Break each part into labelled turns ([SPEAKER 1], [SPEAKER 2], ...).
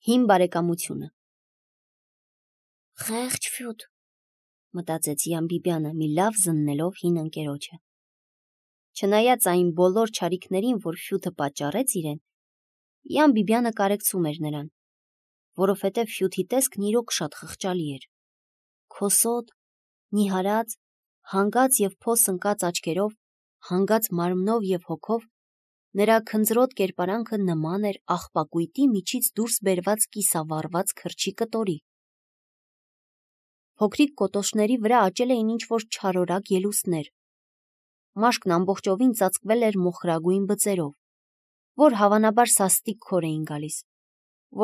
[SPEAKER 1] Հին բարեկամությունը։ Խեղճ Ֆյուդ, մտածեց Յան Բիբյանը, մի լավ զննելով հին ընկերոջը։ Չնայած այն բոլոր չարիքներին, որ Ֆյուդը պատճառեց իրեն, Յան Բիբյանը կարեկցում էր նրան, որովհետև Ֆյուդի տեսքն իրոք շատ խղճալի էր։ Քոսոտ, նիհարած, հանգած և փոս ընկած աչքերով, հանգած մարմնով և հոգով, նրա քնձրոտ կերպարանքը նման էր աղբակույտի միջից դուրս բերված կիսավառված քրչի կտորի։ Փոքրիկ կոտոշների վրա աճել էին ինչ-որ չարորակ ելուստներ։ Մաշկն ամբողջովին ծածկվել էր մոխրագույն բծերով, որ հավանաբար սաստիկ քոր էին գալիս,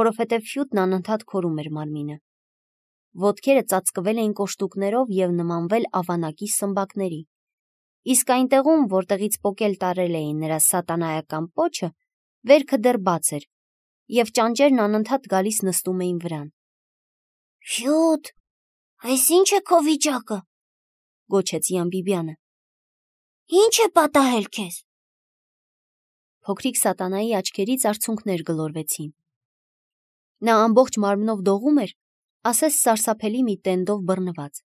[SPEAKER 1] որովհետև Ֆյուդն անընդհատ քորում էր մարմինը։ Ոտքերը ծածկվել էին կոշտուկներով և նմանվել ավանակի սմբակների, իսկ այնտեղում, որտեղից պոկել տարել էին նրա սատանայական պոչը, վերքը դեռ բաց էր, և ճանճերն անընդհատ գալիս նստում էին վրան։ «Ֆյուդ, այս ի՞նչ է քո վիճակը», գոչեց Յան Բիբյանը։ «Ի՞նչ է պատահել քեզ»։ Փոքրիկ սատանայի աչքերից արցունքներ գլորվեցին։ Նա ամբողջ մարմնով դողում էր, ասես սարսափելի մի տենդով բռնված։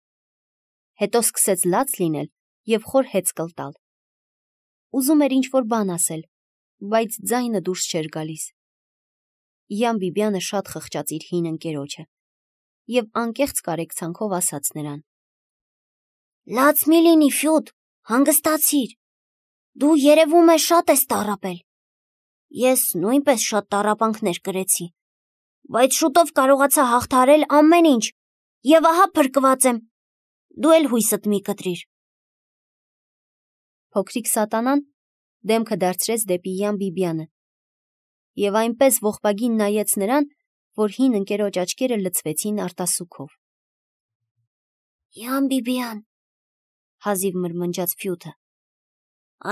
[SPEAKER 1] Հետո սկսեց լաց լինել և խոր հեծկլ տալ։ Ուզում էր ինչ-որ բան ասել, բայց ձայնը դուրս չէր գալիս։ Յան Բիբյանը շատ խղճաց իր հին ընկերոջը և անկեղծ կարեկցանքով ասաց նրան. «Լաց մի լինի, Ֆյուդ, հանգստացիր, դու երևում է շատ ես տառապել։ Ես նույնպես շատ տառապանքներ կրեցի, բայց շուտով կարողացա հաղթահարել ամեն ինչ և ահա փրկված եմ, դու էլ հույսդ մի կտրիր»։ Փոքրիկ սատանան դեմքը դարձրեց դեպի Յան Բիբյանը և այնպես ողբագին նայեց նրան, որ հին ընկերոջ աչքերը լցվեցին արտասուքով։ «Յան Բիբյան», հազիվ մրմնջաց Ֆյուդը,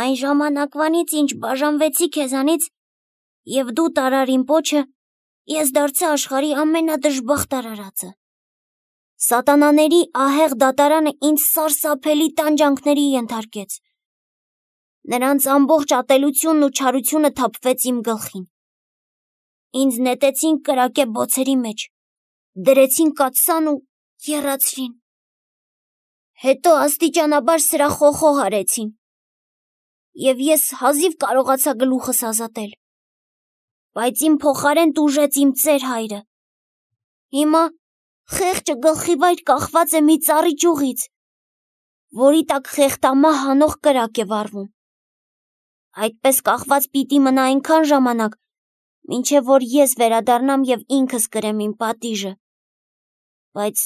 [SPEAKER 1] «այն ժամանակվանից, ինչ բաժանվեցի քեզանից և դու տարար իմ պոչը, ես դարձա աշխարհի ամենադժբախտ արարածը։ Սատանաների ահեղ դատարանը ինձ սարսափելի տանջանքների ենթարկեց։ Նրանց ամբողջ ատելությունն ու չարությունը թափվեց իմ գլխին։ Ինձ նետեցին կրակե բոցերի մեջ, դրեցին կաթսան ու եռացրին։ Հետո աստիճանաբար սրախոխող արեցին, և ես հազիվ կարողացա գլուխս ազատել, բայց իմ փոխարեն տուժեց իմ ծեր հայրը։ Հիմա խեղճը գլխիվայր կախված է մի ծառի ճյուղից, որի տակ խեղդամահ հանող կրակ է վառվում։ Այդպես կախված պիտի մնա այնքան ժամանակ, մինչև որ ես վերադառնամ և ինքս կրեմ իմ պատիժը։ Բայց,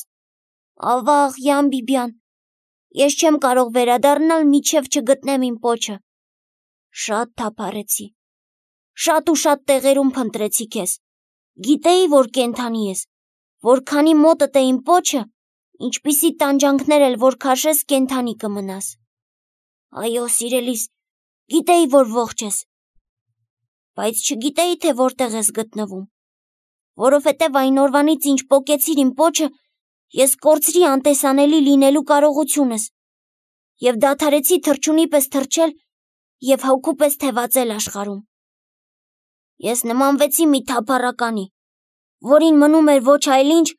[SPEAKER 1] ավաղ, Յան Բիբյան, ես չեմ կարող վերադառնալ, մինչև չգտնեմ իմ պոչը։ Շատ թափառեցի, շատ ու շատ տեղերում փնտրեցի քեզ, գիտեի, որ կենդանի ես, որքանի մոտդ է իմ պոչը, ինչպիսի տանջանքներ էլ որ քաշես, կենդանի կմնաս։ Այո, սիրելիս, գիտեի, որ ողջ ես, բայց չգիտեի, թե որտեղ ես գտնվում, որովհետև այն օրվանից, ինչ պոկեցիր իմ պոչը, ես կորցրի անտեսանելի լինելու կարողությունս և դադարեցի թռչունի պես թռչել և հոգու պես թևածել աշխարհում։ Ես նմանվեցի մի թափառականի, որին մնում էր ոչ այլ ինչ,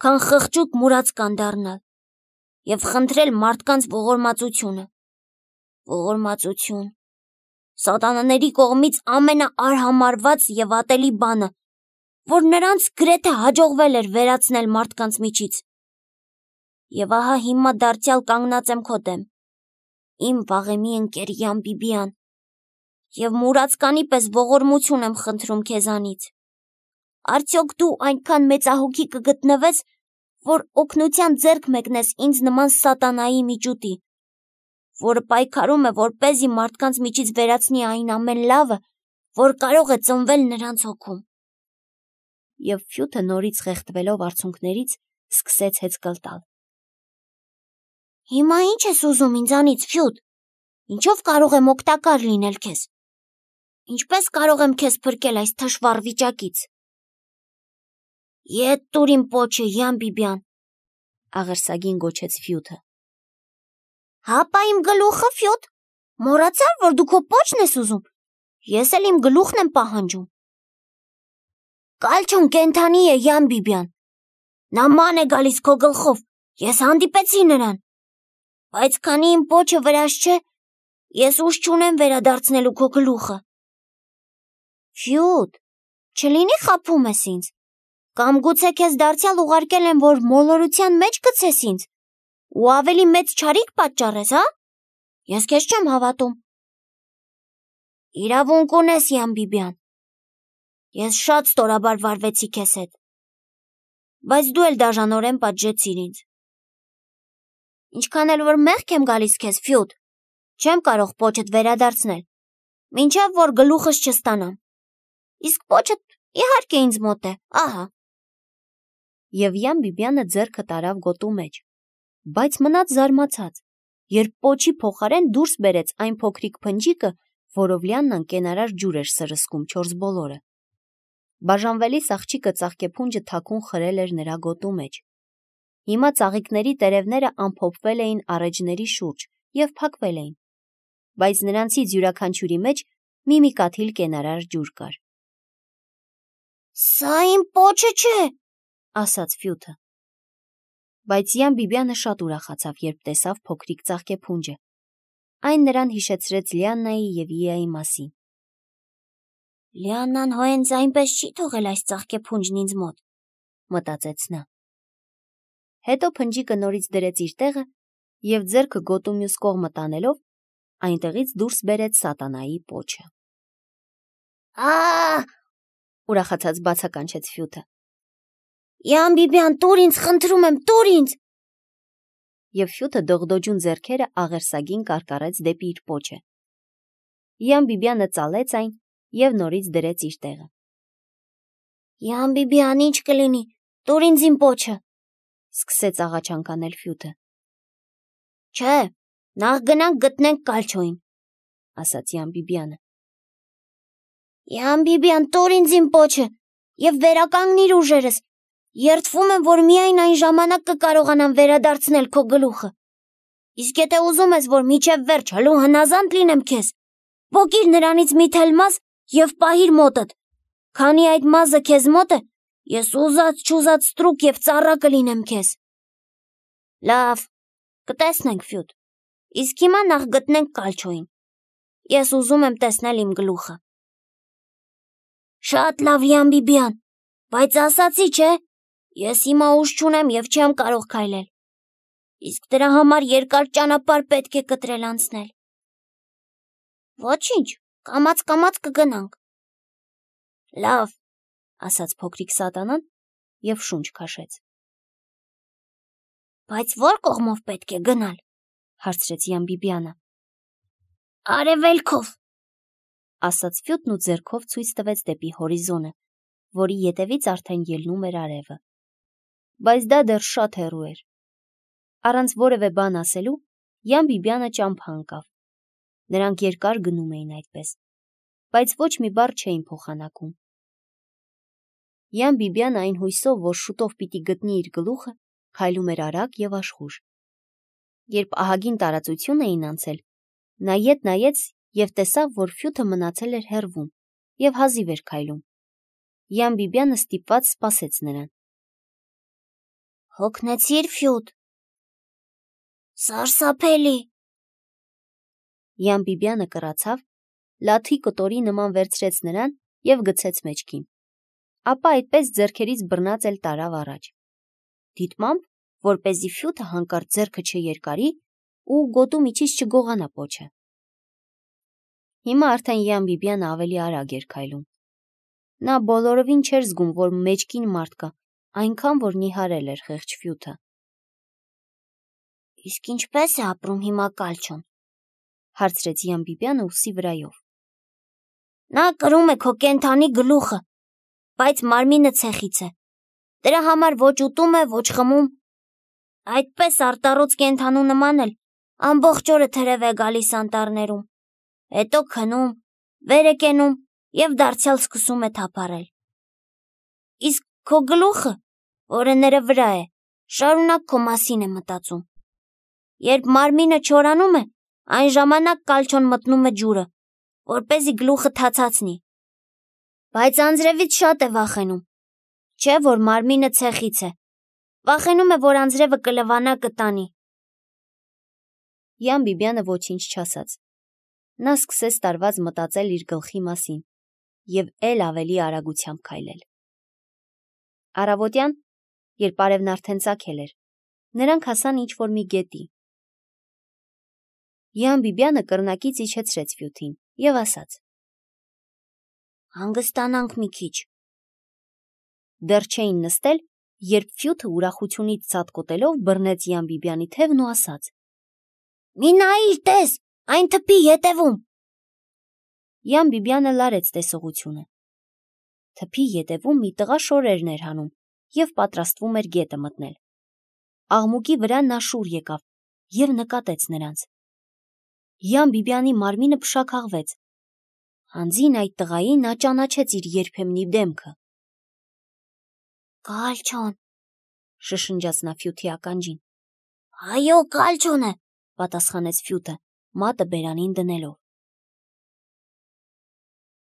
[SPEAKER 1] քան խղճուկ մուրացկան դառնալ և խնդրել մարդկանց ողորմածությունը։ Ողորմածություն, սատանաների կողմից ամենաարհամարհված և ատելի բանը, որ նրանց գրեթե հաջողվել էր վերացնել մարդկանց միջից։ Եվ ահա հիմա դարձյալ կանգնած եմ քո դեմ, իմ վաղեմի ընկեր Յան Բիբյան, և մուրացկանի պես ողորմություն եմ խնդրում քեզանից։ Արդյոք դու այնքան մեծահոգի կգտնվես, որ օգնության ձեռք մեկնես ինձ նման սատանայի միջուտի, որը պայքարում է, որպեսզի մարդկանց միջից վերացնի այն ամեն լավը, որ կարող է ծնվել նրանց հոգում։ Եվ Ֆյուդը նորից խեղդվելով արցունքներից սկսեց հեծկլ տալ։ Հիմա ի՞նչ ես ուզում ինձանից, Ֆյուդ, ինչով կարող եմ օգտակար լինել քեզ։ Ինչպես կարող եմ քեզ փրկել այս թշվառ վիճակից։ Ետ տուր իմ պոչը, Յան Բիբյան, աղերսագին գոչեց Ֆյուդը։ Հապա իմ գլուխը, Ֆյուդ, մոռացար, որ դու քո պոչն ես ուզում։ Ես էլ իմ գլուխն եմ պահանջում։ Կալչոն կենթանի է, Յան Բիբյան։ Նա ման է գալիս քո գլխով, ես հանդիպեցի նրան։ Բայց քանի իմ պոչը վրաս չէ, ես ուժ չունեմ վերադարձնելու քո գլուխը։ Ֆյուդ, չլինի խաբում ես ինձ։ Կամ գուցե քեզ դարձյալ ուղարկել են, որ մոլորության մեջ գցես ինձ, ու ավելի մեծ չարիք պատճառես, հա։ Ես քեզ չեմ հավատում։ Իրավունք ունես, Յան Բիբյան։ Ես շատ ստորաբար վարվեցի քեզ հետ, բայց դու էլ դաժանորեն պատժեցիր ինձ։ Ինչքան էլ որ մեղք եմ գալիս քեզ, Ֆյուդ, չեմ կարող պոչդ վերադարձնել, մինչև որ գլուխս չստանամ։ Իսկ պոչդ իհարկե ինձ մոտ է, ահա։ Եվ Յան Բիբյանը ձեռքը տարավ գոտու մեջ, բայց մնաց զարմացած, երբ պոչի փոխարեն դուրս բերեց այն փոքրիկ փնջիկը, որով Լիաննան կենարար ջուր էր սրսկում 4 բոլորը։ Բաժանվելիս աղջիկը ծաղկեփունջը թաքուն խրել էր նրա գոտու մեջ։ Հիմա ծաղիկների տերևները ամփոփվել էին առէջների շուրջ և փակվել էին, բայց նրանցից յուրաքանչյուրի մեջ մի կաթիլ կենարար ջուր կար։ Սա իմ պոչը չէ, ասաց Ֆյուդը։ Բայց Յան Բիբյանը շատ ուրախացավ, երբ տեսավ փոքրիկ ծաղկեփունջը։ Այն նրան հիշեցրեց Լիաննայի և Իայի մասին։ Լիաննան հենց այնպես չի թողել այս ծաղկեփունջն ինձ մոտ, մտածեց նա։ Հետո փնջիկը նորից դրեց իր տեղը և ձեռքը գոտու մյուս կողմը տանելով, այնտեղից դուրս բերեց սատանայի պոչը։ Ուրախացած բացականչեց Ֆյուդը։ Յան Բիբյան, տուր ինձ, խնդրում եմ, տուր ինձ։ Եվ Ֆյուդը դողդոջուն ձեռքերը աղերսագին կարկառեց դեպի իր պոչը։ Յան Բիբյանը ծալեց այն և նորից դրեց իր տեղը։ Յան Բիբյան, ինչ կլինի, տուր ինձ իմ պոչը, սկսեց աղաչանք անել Ֆյուդը։ Չէ, նախ գնանք գտնենք Կալչոյին, ասաց Յան Բիբյանը։ Յան Բիբյան, տուր ինձ իմ պոչը և վերականգնիր ուժերս։ Երդվում եմ, որ միայն այն ժամանակ կկարողանամ վերադարձնել քո գլուխը։ Իսկ եթե ուզում ես, որ մինչև վերջ հլու հնազանդ լինեմ քեզ, պոկիր նրանից մի թել մազ և պահիր մոտդ։ Քանի այդ մազը քեզ մոտ է, ես ուզած-չուզած ստրուկ և ծառա կլինեմ քեզ։ Լավ, կտեսնենք, Ֆյուդ։ Իսկ հիմա նախ գտնենք Կալչոյին։ Ես ուզում եմ տեսնել իմ գլուխը։ Շատ լավ, Յան Բիբյան, բայց ասացի, չէ, ես հիմա ուժ չունեմ և չեմ կարող քայլել։ Իսկ դրա համար երկար ճանապարհ պետք է կտրել անցնել։ Ոչինչ, կամաց կգնանք։ Լավ, ասաց փոքրիկ սատանան և շունչ քաշեց։ Բայց ո՞ր կողմով պետք է գնալ, հարցրեց Յան Բիբյանը։ Արևելքով, ասաց Ֆյուդն ու ձեռքով ցույց տվեց դեպի հորիզոնը, որի ետևից արդեն ելնում էր արևը։ Բայց դա դեռ շատ հեռու էր։ Առանց որևէ բան ասելու, Յան Բիբյանը ճամփա ընկավ։ Նրանք երկար գնում էին այդպես, բայց ոչ մի բառ չէին փոխանակում։ Յան Բիբյանը այն հույսով, որ շուտով պիտի գտնի իր գլուխը, քայլում էր արագ և աշխույժ։ Երբ ահագին տարածություն էին անցել, նա ետ նայեց և տեսավ, որ Ֆյուդը մնացել էր հեռվում և հազիվ էր քայլում։ Յան Բիբյանը ստիպված սպասեց նրան։ Հոգնեցի՞ր, Ֆյուդ։ Սարսափելի։ Յան Բիբյանը կռացավ, լաթի կտորի նման վերցրեց նրան և գցեց մեջքին։ Ապա այդպես ձեռքերից բռնած էլ տարավ առաջ։ Դիտմամբ, որպեսզի Ֆյուդը հանկարծ ձեռքը չերկարի ու գոտու միջից չգողանա պոչը։ Հիմա արդեն Յան Բիբյանը ավելի արագ էր քայլում։ Նա բոլորովին չէր զգում, որ մեջքին մարդ կա, այնքան որ նիհարել էր խեղճ Ֆյուդը։ Իսկ ինչպե՞ս է ապրում հիմա Կալչոն, հարցրեց Յան Բիբյանը ուսի վրայով։ Նա կրում է քո կենթանի գլուխը, բայց մարմինը ցեխից է։ Դրա համար ոչ ուտում է, ոչ խմում։ Այդպես արտառոց կենթանու նման էլ ամբողջ օրը թրև է գալիս անտառներում, հետո քնում, վեր է կենում և դարձյալ սկսում է թափառել։ Իսկ քո գլուխը, որը նրա վրա է, շարունակ քո մասին է մտածում։ Երբ մարմինը չորանում է, այն ժամանակ Կալչոն մտնում է ջուրը, որպեսզի գլուխը թացացնի։ Բայց անձրևից շատ է վախենում, Չէ, որ մարմինը ցեխից է։ Վախենում է, որ անձրևը կլվանա կտանի։ Յան Բիբյանը ոչինչ չասաց։ Նա սկսեց տարված մտածել իր գլխի մասին և էլ ավելի արագությամբ քայլել։ Առավոտյան, երբ արևն արդեն ծագել էր, նրանք հասան ինչ-որ մի գետի։ Յան Բիբյանը կռնակից իջեցրեց Ֆյութին և ասաց. «Հանգստանանք մի քիչ»։ Դեռ չէին նստել, երբ Ֆյութը ուրախությունից ցատկոտելով բռնեց Յան Բիբյանի թևն ու ասաց. «Մի նայիր, տես, այն թփի ետևում»։ Յան Բիբյանը լարեց տեսողությունը։ Թփի ետևում մի տղա շորերն էր հանում և պատրաստվում էր գետը մտնել։ Աղմուկի վրա նա շուռ եկավ և նկատեց նրանց։ Յան Բիբյանի մարմինը փշաքաղվեց։ Հանձին այդ տղային նա ճանաչեց իր երբեմնի դեմքը։ «Կալչոն», շշնջաց նա Ֆյութի ականջին։ «Այո, Կալչոն է», պատասխանեց Ֆյութը, մատը բերանին դնելով։